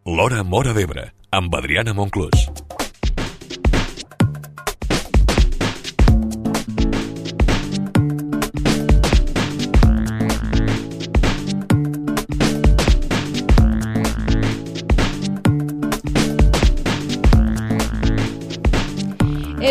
L'Hora Móra d'Ebre, amb Adriana Monclús.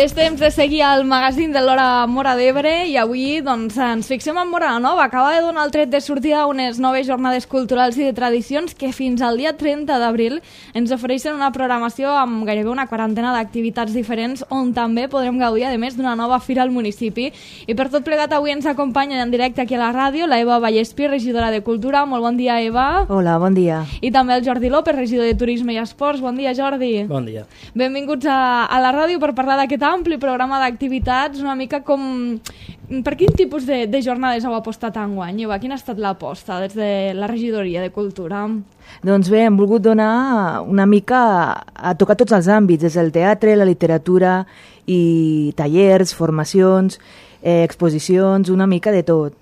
És temps de seguir el magazín de l'Hora Móra d'Ebre i avui doncs, ens fixem en Móra la Nova. Acaba de donar el tret de sortida unes noves jornades culturals i de tradicions que fins al dia 30 d'abril ens ofereixen una programació amb gairebé una quarantena d'activitats diferents on també podrem gaudir, a més, d'una nova fira al municipi. I per tot plegat avui ens acompanya en directe aquí a la ràdio la Eva Vallespí, regidora de Cultura. Molt bon dia, Eva. Hola, bon dia. I també el Jordi López, regidor de Turisme i Esports. Bon dia, Jordi. Bon dia. Benvinguts a la ràdio per parlar d'aquest ampli programa d'activitats, una mica com... Per quin tipus de jornades heu apostat enguany, Eva? Quina ha estat l'aposta des de la regidoria de Cultura? Doncs bé, hem volgut donar una mica a tocar tots els àmbits, des del teatre, la literatura i tallers, formacions, exposicions, una mica de tot.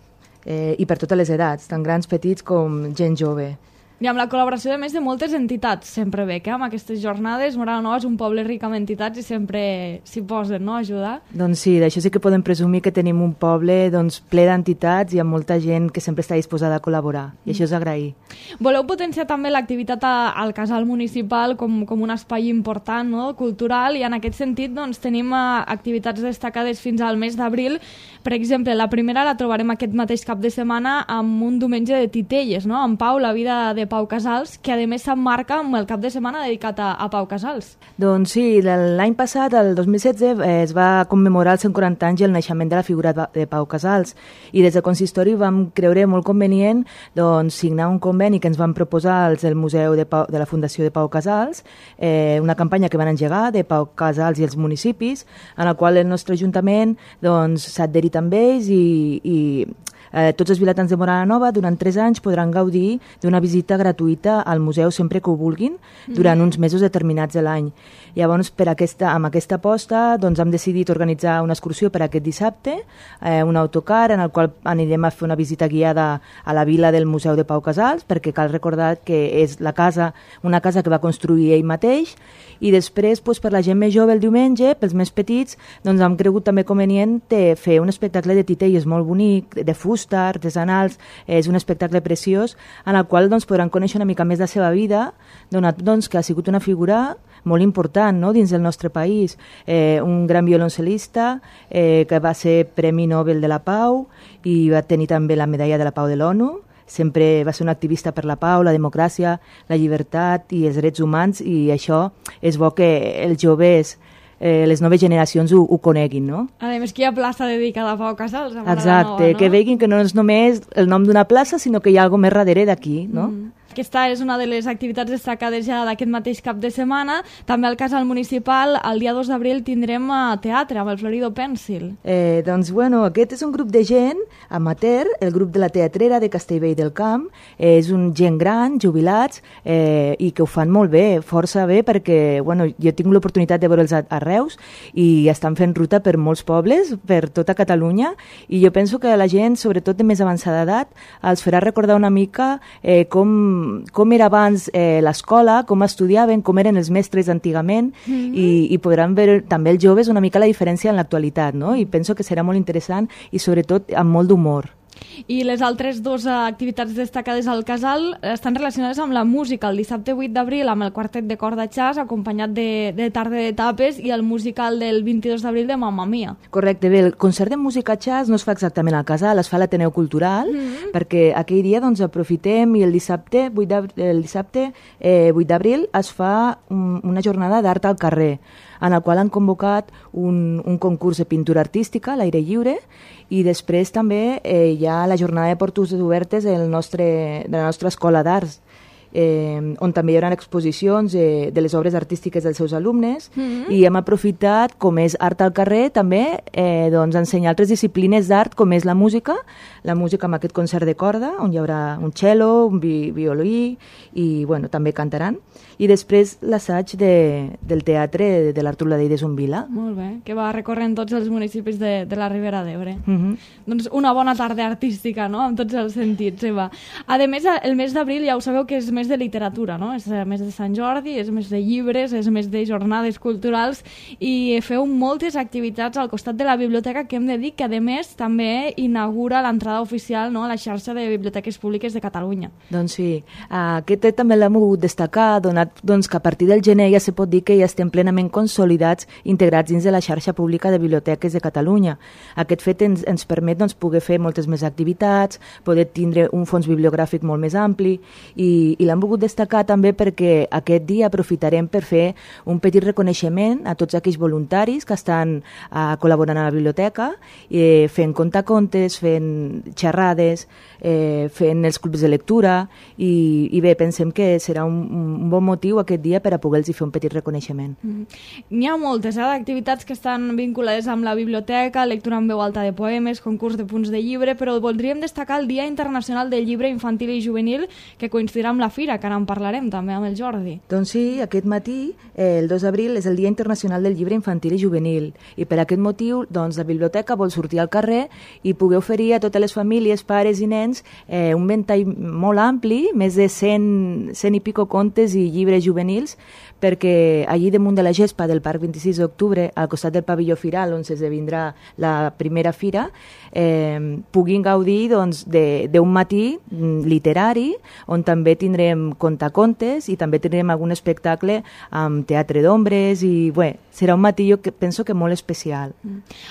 I per totes les edats, tant grans, petits com gent jove. I amb la col·laboració, a més, de moltes entitats, sempre bé, que amb aquestes jornades, Móra la Nova és un poble ric amb entitats i sempre s'hi posen, no?, a ajudar. Doncs sí, d'això sí que podem presumir que tenim un poble ple d'entitats i amb molta gent que sempre està disposada a col·laborar, i això és agrair. Voleu potenciar també l'activitat al casal municipal com un espai important, no?, cultural, i en aquest sentit doncs, tenim activitats destacades fins al mes d'abril. Per exemple, la primera la trobarem aquest mateix cap de setmana amb un diumenge de titelles, no?, en Pau, la vida de Pau Casals, que a més s'emmarca amb el cap de setmana dedicat a Pau Casals. Doncs sí, l'any passat, el 2016, es va commemorar els 140 anys i el naixement de la figura de Pau Casals, i des del consistori vam creure molt convenient doncs, signar un conveni que ens van proposar els del Museu de la Fundació de Pau Casals, una campanya que van engegar de Pau Casals i els municipis, en la qual el nostre ajuntament doncs, s'ha adherit amb ells i tots els vilatans de Móra la Nova durant 3 anys podran gaudir d'una visita gratuïta al museu sempre que ho vulguin durant uns mesos determinats de l'any. Llavors, amb aquesta aposta doncs, hem decidit organitzar una excursió per aquest dissabte, un autocar en el qual anirem a fer una visita guiada a la vila del Museu de Pau Casals, perquè cal recordar que és una casa que va construir ell mateix, i després doncs, per la gent més jove el diumenge, pels més petits, doncs, hem cregut també convenient fer un espectacle de titelles molt bonic, de fusta, artesanals. És un espectacle preciós en el qual doncs, podran conèixer una mica més de la seva vida, donat doncs, que ha sigut una figura molt important, no?, dins del nostre país. Un gran violoncel·lista que va ser Premi Nobel de la Pau i va tenir també la medalla de la Pau de l'ONU. Sempre va ser un activista per la pau, la democràcia, la llibertat i els drets humans, i això és bo que els joves, les noves generacions ho coneguin, no? A més, que hi ha plaça dedicada a Pau Casals. Exacte, no? Que veguin que no és només el nom d'una plaça, sinó que hi ha alguna més darrere d'aquí, no? Aquesta és una de les activitats destacades ja d'aquest mateix cap de setmana. També al casal municipal, el dia 2 d'abril, tindrem teatre amb el Florido Pencil. Doncs, bueno, aquest és un grup de gent amateur, el grup de la teatrera de Castellvell del Camp. És un gent gran, jubilats, i que ho fan molt bé, força bé, perquè bueno, jo tinc l'oportunitat de veure'ls a Reus i estan fent ruta per molts pobles, per tota Catalunya, i jo penso que la gent, sobretot de més avançada edat, els farà recordar una mica com era abans l'escola, com estudiaven, com eren els mestres antigament, i podran veure també els joves una mica la diferència en l'actualitat, no? I penso que serà molt interessant i sobretot amb molt d'humor. I les altres dues activitats destacades al casal estan relacionades amb la música. El dissabte 8 d'abril amb el quartet de corda jazz acompanyat de tarda de tapes i el musical del 22 d'abril de Mamma Mia. Correcte, bé, el concert de música jazz no es fa exactament al casal, es fa a l'Ateneu Cultural, perquè aquell dia doncs, aprofitem i el dissabte 8 d'abril es fa una jornada d'art al carrer, en el qual han convocat un concurs de pintura artística a l'aire lliure, i després també hi ha la jornada de portes obertes de la nostra escola d'arts, on també hi haurà exposicions de les obres artístiques dels seus alumnes, i hem aprofitat, com és art al carrer, també doncs, ensenyar altres disciplines d'art, com és la música amb aquest concert de corda, on hi haurà un cello, un violí, i bueno, també cantaran. I després l'assaig del teatre de l'Artur Ladell de Zumbila. Molt bé, que va recorrent tots els municipis de la Ribera d'Ebre. Doncs una bona tarda artística, no?, en tots els sentits, Eva. A més, el mes d'abril ja ho sabeu que és mes més de literatura, no? És més de Sant Jordi, és més de llibres, és més de jornades culturals i feu moltes activitats al costat de la biblioteca que hem de dir que a més també inaugura l'entrada oficial, no?, a la xarxa de biblioteques públiques de Catalunya. Doncs sí, aquest també l'hem volgut destacar, donat que a partir del gener ja se pot dir que ja estem plenament consolidats, integrats dins de la xarxa pública de biblioteques de Catalunya. Aquest fet ens permet poder fer moltes més activitats, poder tindre un fons bibliogràfic molt més ampli i l'hem volgut destacar també perquè aquest dia aprofitarem per fer un petit reconeixement a tots aquells voluntaris que estan col·laborant a la biblioteca, fent contacontes, fent xerrades, fent els clubs de lectura i bé, pensem que serà un bon motiu aquest dia per a poder-los fer un petit reconeixement. N'hi ha moltes d'activitats que estan vinculades amb la biblioteca, lectura en veu alta de poemes, concurs de punts de llibre, però voldríem destacar el Dia Internacional del Llibre Infantil i Juvenil, que coincidirà amb la Fira, que ara en parlarem també amb el Jordi. Doncs sí, aquest matí, el 2 d'abril, és el Dia Internacional del Llibre Infantil i Juvenil, i per aquest motiu la biblioteca vol sortir al carrer i poder oferir a totes les famílies, pares i nens un ventall molt ampli, més de 100 i pico contes i llibres juvenils, perquè allí damunt de la gespa del Parc 26 d'Octubre, al costat del pavelló Firal, on s'esdevindrà la primera fira, puguin gaudir d'un matí literari, on també tindrem contacontes i també tindrem algun espectacle amb teatre d'ombres i bé, serà un matí jo penso que molt especial.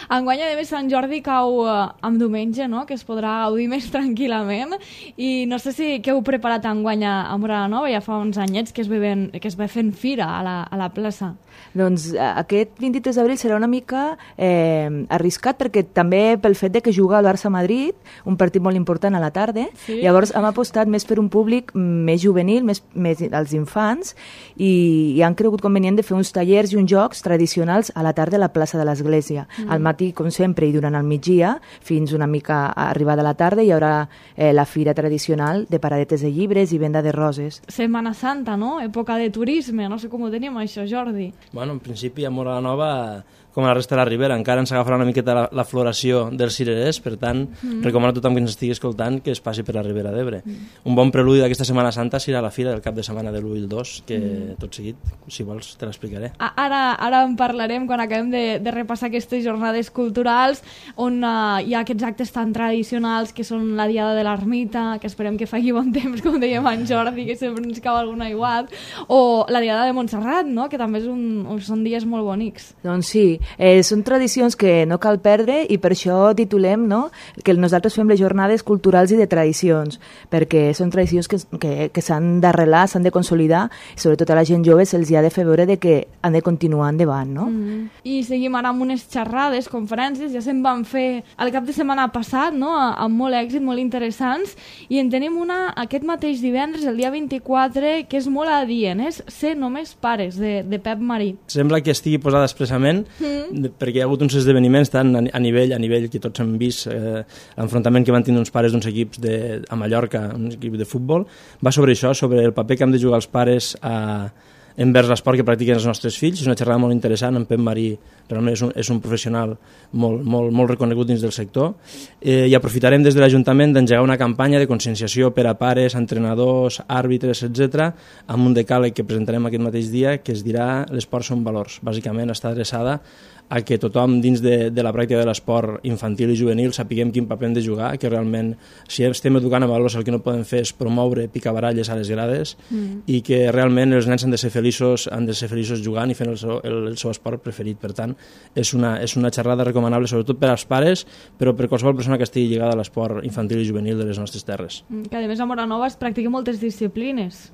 Enguany, a més, Sant Jordi cau amb diumenge, no?, que es podrà gaudir més tranquil·lament i no sé si què heu preparat enguany a Móra la Nova, ja fa uns anyets que es va fent fira a la plaça. Doncs aquest 23 d'abril serà una mica arriscat perquè també pel fet de que juga el Barça a Madrid, un partit molt important a la tarda, llavors hem apostat més per un públic més juvenil, més als infants i han cregut convenient de fer uns tallers i uns jocs tradicionals a la tarda a la plaça de l'Església. Al matí, com sempre, i durant el migdia, fins una mica arribada a la tarda, hi haurà la fira tradicional de paradetes de llibres i venda de roses. Setmana Santa, no? Època de turisme, no sé com ho tenim això, Jordi. Bueno, en principi a Móra la Nova, com a la resta de la Ribera, encara ens agafarà una miqueta la floració dels cirerers, per tant, recomano a tothom que ens estigui escoltant que es passi per la Ribera d'Ebre. Un bon preludi d'aquesta Setmana Santa serà la fira del cap de setmana de l'1 i el 2, que tot seguit, si vols, te l'explicaré. Ara en parlarem quan acabem de repassar aquestes jornades culturals on hi ha aquests actes tan tradicionals que són la Diada de l'Ermita, que esperem que faci bon temps, com dèiem en Jordi, que sempre ens cau algun aiguat, o la Diada de Montserrat, no?, que també són dies molt bonics. Doncs sí, són tradicions que no cal perdre i per això titulem, no?, que nosaltres fem les jornades culturals i de tradicions, perquè són tradicions que s'han d'arrelar, s'han de consolidar i sobretot a la gent jove se'ls ha de fer veure que han de continuar endavant, no? I seguim ara amb unes xerrades, conferències, ja se'n van fer el cap de setmana passat, no?, amb molt èxit, molt interessants, i en tenim una aquest mateix divendres, el dia 24, que és molt adient, és Ser només pares, de Pep Marí. Sembla que estigui posada expressament perquè hi ha hagut uns esdeveniments tant a nivell que tots hem vist, l'enfrontament que van tindre uns pares d'uns equips a Mallorca, un equip de futbol, va sobre això, sobre el paper que han de jugar els pares envers l'esport que practiquen els nostres fills. És una xerrada molt interessant, en Pep Marí realment és un professional molt reconegut dins del sector, i aprofitarem des de l'Ajuntament d'engegar una campanya de conscienciació per a pares, entrenadors, àrbitres, etc., amb un decàleg que presentarem aquest mateix dia que es dirà l'esport són valors. Bàsicament està adreçada a que tothom dins de la pràctica de l'esport infantil i juvenil sapiguem quin paper hem de jugar, que realment si estem educant a valors el que no podem fer és promoure picabaralles a les grades i que realment els nens han de ser feliços jugant i fent el seu esport preferit. Per tant, és una xerrada recomanable sobretot per als pares, però per qualsevol persona que estigui lligada a l'esport infantil i juvenil de les nostres terres. Que a més a Móra Nova es practiquen moltes disciplines.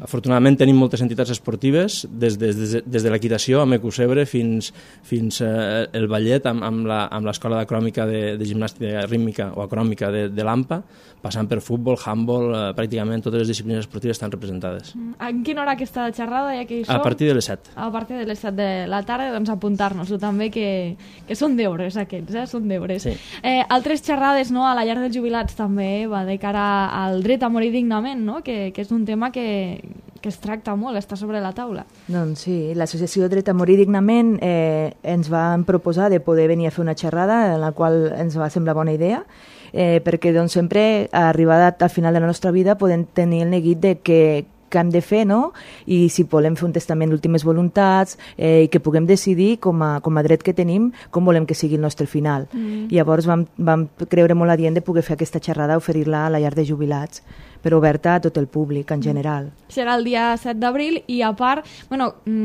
Afortunadament tenim moltes entitats esportives, des de l'equitació amb Ecusebre fins el ballet amb l'escola d'acròmica de gimnàstica rítmica o acròmica de l'AMPA, passant per futbol, handball, pràcticament totes les disciplines esportives estan representades. En quina hora aquesta xerrada? Ja que hi som? A partir de les 7. A partir de les 7 de la tarda, doncs apuntar-nos-ho també, que són deures aquests, són deures. Sí. Altres xerrades, no?, a la llar dels jubilats també va de cara al dret a morir dignament, no?, que és un tema que es tracta molt, està sobre la taula. Doncs sí, l'associació Dret a Morir Dignament ens van proposar de poder venir a fer una xerrada en la qual ens va semblar bona idea, perquè doncs, sempre arribada al final de la nostra vida podem tenir el neguit de que què hem de fer, no? I si volem fer un testament d'últimes voluntats i que puguem decidir com a dret que tenim com volem que sigui el nostre final. Llavors vam creure molt adient de poder fer aquesta xerrada, oferir-la a la llar de jubilats, però oberta a tot el públic en general. Serà el dia 7 d'abril i a part,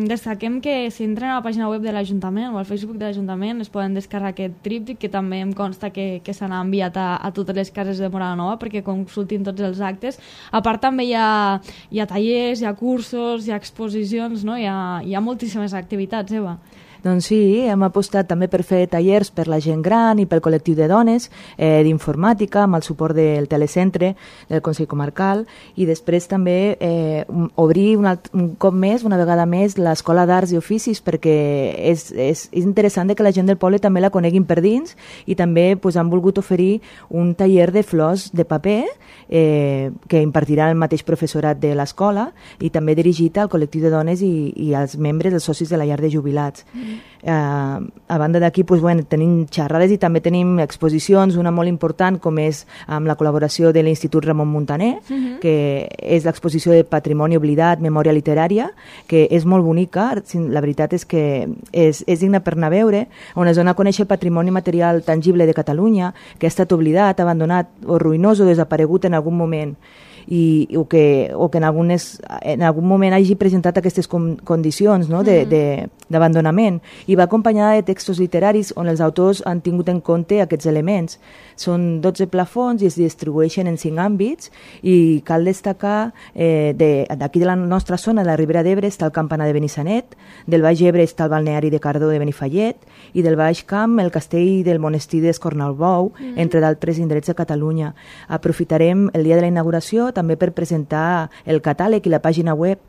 destaquem que si entren a la pàgina web de l'Ajuntament o al Facebook de l'Ajuntament es poden descarregar aquest tríptic que també em consta que se n'ha enviat a totes les cases de Mora la Nova perquè consultin tots els actes. A part també hi ha tallers, hi ha cursos, hi ha exposicions, no? Hi ha moltíssimes activitats, Eva. Doncs sí, hem apostat també per fer tallers per la gent gran i pel col·lectiu de dones d'informàtica amb el suport del telecentre del Consell Comarcal i després també obrir un cop més, una vegada més, l'Escola d'Arts i Oficis perquè és interessant que la gent del poble també la coneguin per dins i també han volgut oferir un taller de flors de paper que impartirà el mateix professorat de l'escola i també dirigit al col·lectiu de dones i als membres, els socis de la llar de jubilats. A banda d'aquí tenim xerrades i també tenim exposicions, una molt important com és amb la col·laboració de l'Institut Ramon Muntaner, que és l'exposició de Patrimoni Oblidat, Memòria Literària, que és molt bonica, la veritat és que és digna per anar a veure, on es dona a conèixer el patrimoni material tangible de Catalunya, que ha estat oblidat, abandonat o ruïnós o desaparegut en algun moment o que en algun moment hagi presentat aquestes condicions, no? d'abandonament, i va acompanyada de textos literaris on els autors han tingut en compte aquests elements. Són 12 plafons i es distribueixen en 5 àmbits i cal destacar d'aquí de la nostra zona, de la Ribera d'Ebre, està el campanar de Benissanet, del Baix Ebre està el balneari de Cardó de Benifallet i del Baix Camp el castell del monestir d'Escornalbou, entre d'altres indrets de Catalunya. Aprofitarem el dia de la inauguració també per presentar el catàleg i la pàgina web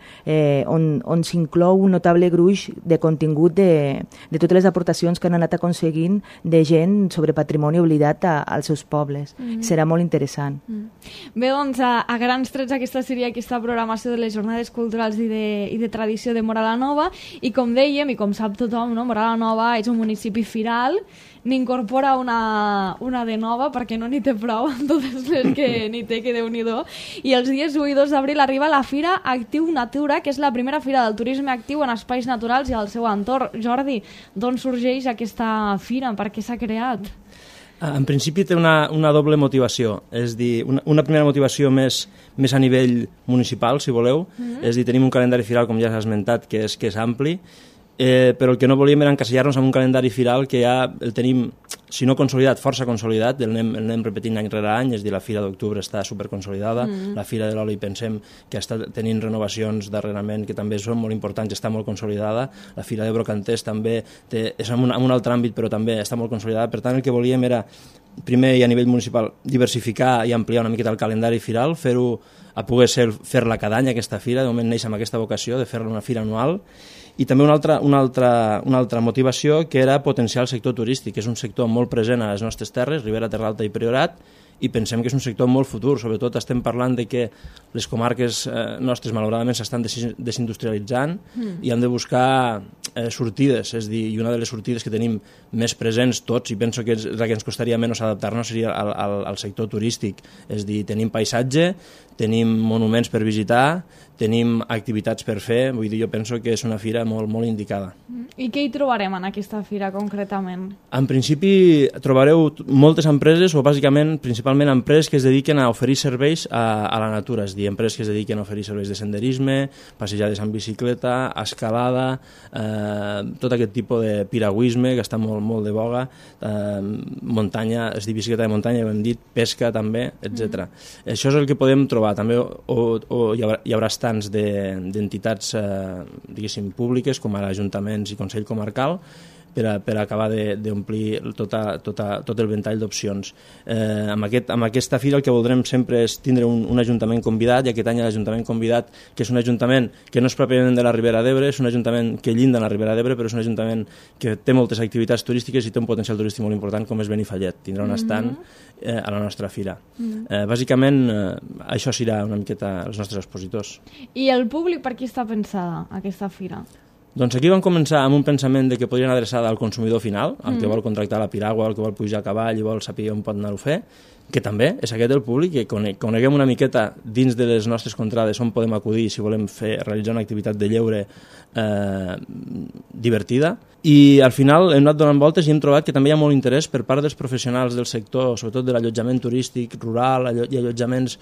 on s'inclou un notable gruix de contingut de totes les aportacions que han anat aconseguint de gent sobre patrimoni oblidat als seus pobles. Serà molt interessant. Bé, doncs, a grans trets aquesta seria aquesta programació de les jornades culturals i de tradició de Mora la Nova i com dèiem, i com sap tothom, no? Mora la Nova és un municipi firal, n'incorpora una de nova perquè no n'hi té prou amb totes les que n'hi té, que Déu-n'hi-do, i els dies 1 i 2 d'abril arriba la Fira Actiu Natura, que és la primera fira del turisme actiu en espais naturals i al seu entorn. Jordi, d'on sorgeix aquesta fira? Per què s'ha creat? En principi té una doble motivació, és dir, una primera motivació més a nivell municipal, si voleu, és dir, tenim un calendari firal, com ja s'ha esmentat, que és ampli, però el que no volíem era encasillar-nos en un calendari firal que ja el tenim, si no consolidat, força consolidat, el anem repetint any rere any, és dir, la Fira d'Octubre està superconsolidada, la Fira de l'Oli pensem que està tenint renovacions darrerament que també són molt importants, està molt consolidada, la Fira de Brocanters també és en un altre àmbit però també està molt consolidada, per tant el que volíem era, primer i a nivell municipal, diversificar i ampliar una miqueta el calendari firal, fer-ho a poder fer-la cada any aquesta fira, de moment neix amb aquesta vocació de fer-la una fira anual, i també una altra motivació que era potenciar el sector turístic, que és un sector molt present a les nostres terres, Ribera, Terra Alta i Priorat, i pensem que és un sector molt futur, sobretot estem parlant de que les comarques nostres malauradament s'estan desindustrialitzant i hem de buscar sortides, és dir, i una de les sortides que tenim més presents tots, i penso que és la que ens costaria menys adaptar-nos, seria al sector turístic, és dir, tenim paisatge, tenim monuments per visitar, tenim activitats per fer, vull dir, jo penso que és una fira molt, molt indicada. I què hi trobarem en aquesta fira concretament? En principi trobareu moltes empreses, o bàsicament, principalment empreses que es dediquen a oferir serveis a la natura, és dir, empreses que es dediquen a oferir serveis de senderisme, passejades en bicicleta, escalada, tot aquest tipus de piragüisme que està molt de boga, muntanya, és dir, bicicleta de muntanya, ja ho hem dit, pesca també, etc. Això és el que podem trobar, també hi haurà estants d'entitats, diguéssim, públiques, com ara ajuntaments i Consell Comarcal, per acabar d'omplir tot el ventall d'opcions. Amb aquesta fira el que voldrem sempre és tindre un ajuntament convidat, i aquest any l'ajuntament convidat, que és un ajuntament que no és pròpiament de la Ribera d'Ebre, és un ajuntament que llinda en la Ribera d'Ebre, però és un ajuntament que té moltes activitats turístiques i té un potencial turístic molt important, com és Benifallet. Tindrà un estand a la nostra fira. Bàsicament, això serà una miqueta els nostres expositors. I el públic per qui està pensada aquesta fira? Doncs aquí vam començar amb un pensament de que podrien adreçar al consumidor final, al que vol contractar la piragua, al que vol pujar a cavall i vol saber on pot anar-ho a fer, que també és aquest el públic, que coneguem una miqueta dins de les nostres contrades on podem acudir si volem realitzar una activitat de lleure divertida. I al final hem anat donant voltes i hem trobat que també hi ha molt interès per part dels professionals del sector, sobretot de l'allotjament turístic rural i allotjaments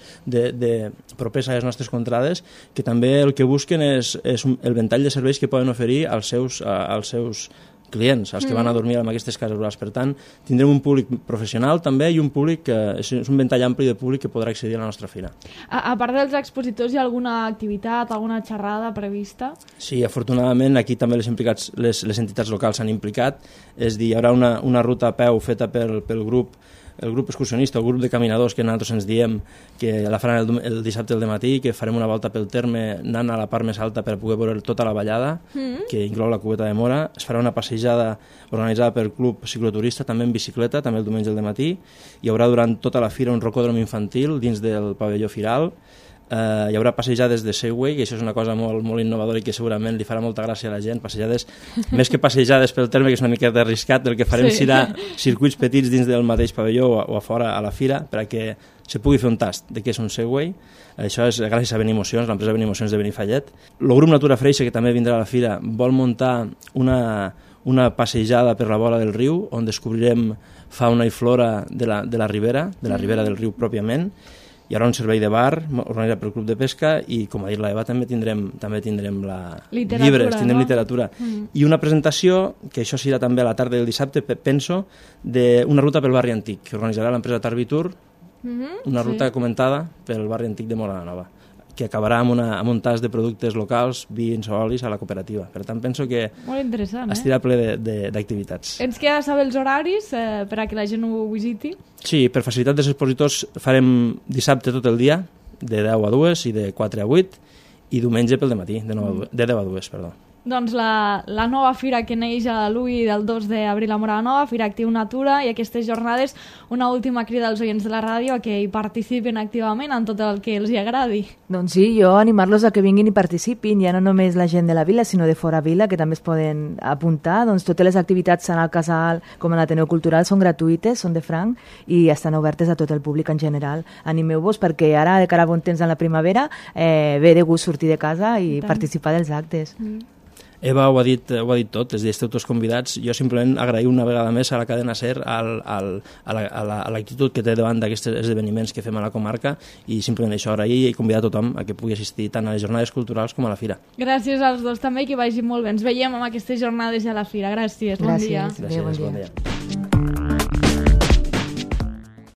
propers a les nostres contrades, que també el que busquen és el ventall de serveis que poden oferir als seus clients, els que van a dormir en aquestes cases rurals. Per tant, tindrem un públic professional també i un públic és un ventall ampli de públic que podrà accedir a la nostra fira. A part dels expositors, hi ha alguna activitat, alguna xerrada prevista? Sí, afortunadament aquí també les entitats locals s'han implicat, és a dir, hi haurà una ruta a peu feta pel grup, el grup excursionista, el grup de caminadors que nosaltres ens diem que la faran el dissabte al dematí, que farem una volta pel terme anant a la part més alta per poder veure tota la vallada, que inclou la Cubeta de Mora. Es farà una passejada organitzada pel club cicloturista, també en bicicleta, també el diumenge al dematí. Hi haurà durant tota la fira un rocòdrom infantil dins del pavelló firal. Hi haurà passejades de Segway, que això és una cosa molt innovadora i que segurament li farà molta gràcia a la gent. Passejades, més que passejades pel terme, que és una miqueta arriscat, el que farem serà circuits petits dins del mateix pavelló o a fora a la fira, perquè se pugui fer un tast de què és un Segway. Això és gràcies a Benimocions, l'empresa Benimocions de Benifallet. El grup Natura Freixa, que també vindrà a la fira, vol muntar una passejada per la vora del riu, on descobrirem fauna i flora de la ribera del riu pròpiament. Hi haurà un servei de bar organitzat pel Club de Pesca i, com ha dit l'Eva, també tindrem llibres, tindrem literatura. I una presentació, que això serà també a la tarda del dissabte, penso, d'una ruta pel barri antic, que organitzarà l'empresa Tarvitur, una ruta comentada pel barri antic de Móra la Nova, que acabarà amb un tas de productes locals, vins o olis a la cooperativa. Per tant, penso que estirà ple d'activitats. Ens queda saber els horaris per a que la gent ho visiti? Sí, per facilitat dels expositors farem dissabte tot el dia, de 10 a 2 i de 4 a 8, i diumenge pel dematí, de 10 a 2, perdó. Doncs la nova fira que neix a l'1 del 2 d'abril a Móra la Nova, Fira Actiu Natura, i aquestes jornades, una última crida als oients de la ràdio a que hi participin activament en tot el que els hi agradi. Doncs sí, jo animar-los a que vinguin i participin, ja no només la gent de la vila, sinó de fora vila, que també es poden apuntar. Doncs totes les activitats tant al Casal com a l'Ateneu Cultural són gratuïtes, són de franc i estan obertes a tot el públic en general. Animeu-vos perquè ara, de cara a bon temps en la primavera, ve de gust sortir de casa i participar dels actes. Eva ho ha dit tot, és a dir, esteu tots convidats. Jo simplement agraïu una vegada més a la cadena SER a l'actitud que té davant d'aquests esdeveniments que fem a la comarca, i simplement això, agrair i convidar tothom a que pugui assistir tant a les jornades culturals com a la fira. Gràcies als dos també, que vagi molt bé. Ens veiem amb aquestes jornades i a la fira. Gràcies, bon dia. Gràcies, bon dia.